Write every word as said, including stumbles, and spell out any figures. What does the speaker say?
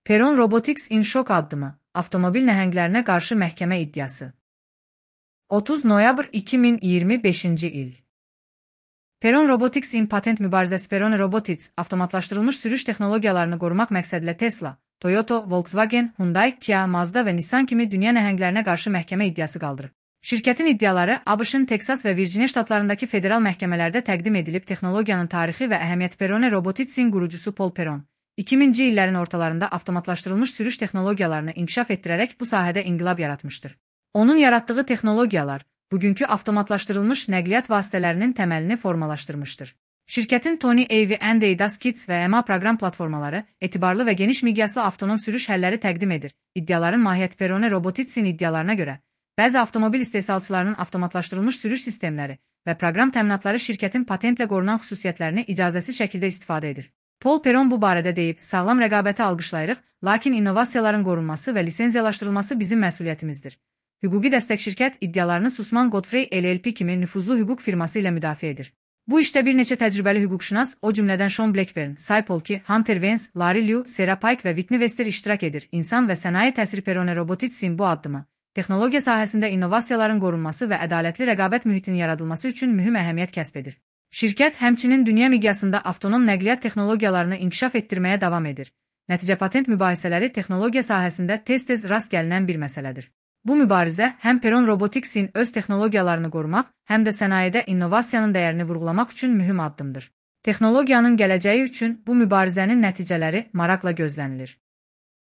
Peron Robotics in şok addımı, avtomobil nəhənglərinə qarşı məhkəmə iddiası. otuz noyabr iki min iyirmi beşinci il. Peron Robotics in patent mübarizəsi. Peron Robotics, avtomatlaşdırılmış sürüş texnologiyalarını qorumaq məqsədilə Tesla, Toyota, Volkswagen, Hyundai, Kia, Mazda və Nissan kimi dünya nəhənglərinə qarşı məhkəmə iddiası qaldırıb. Şirkətin iddiaları A B Ş-ın Teksas və Virginia ştatlarındakı federal məhkəmələrdə təqdim edilib. Texnologiyanın tarixi və əhəmiyyəti. Peron Robotics'in qurucusu Paul Peron, iki minci illərin ortalarında avtomatlaşdırılmış sürüş texnologiyalarını inkişaf etdirərək bu sahədə inqilab yaratmışdır. Onun yaratdığı texnologiyalar bugünkü avtomatlaşdırılmış nəqliyyat vasitələrinin təməlini formalaşdırmışdır. Şirkətin Tony A V and ADAS Kits və M A proqram platformaları etibarlı və geniş miqyaslı avtonom sürüş həlləri təqdim edir. İddiaların mahiyyəti. Peron Robotics'in iddialarına görə, bəzi avtomobil istehsalçılarının avtomatlaşdırılmış sürüş sistemləri və proqram təminatları şirkətin patentlə qorunan xüsusiyyətlərini icazəsiz şəkildə istifadə edir. Paul Peron bu barədə deyib, sağlam rəqabəti alqışlayırıq, lakin innovasiyaların qorunması və lisenziyalaşdırılması bizim məsuliyyətimizdir. Hüquqi dəstək şirkət iddialarını Sussman Godfrey L L P kimi nüfuzlu hüquq firması ilə müdafiə edir. Bu işdə bir neçə təcrübəli hüquqşünas, o cümlədən Sean Blackburn, Cy Polki, Hunter Vance, Larry Liu, Sarah Pike və Whitney Wester iştirak edir. İnsan və sənaye təsiri. Peron Robotics'in bu addımı, texnologiya sahəsində innovasiyaların qorunması və ədalətli rəqabət mühitinin yaradılması üçün mühüm əhəmiyyət kəsb edir. Şirkət həmçinin dünya miqyasında avtonom nəqliyyat texnologiyalarını inkişaf etdirməyə davam edir. Nəticə patent mübahisələri texnologiya sahəsində tez-tez rast gəlinən bir məsələdir. Bu mübarizə həm Peron Robotics'in öz texnologiyalarını qorumaq, həm də sənayedə innovasiyanın dəyərini vurğulamaq üçün mühüm addımdır. Texnologiyanın gələcəyi üçün bu mübarizənin nəticələri maraqla gözlənilir.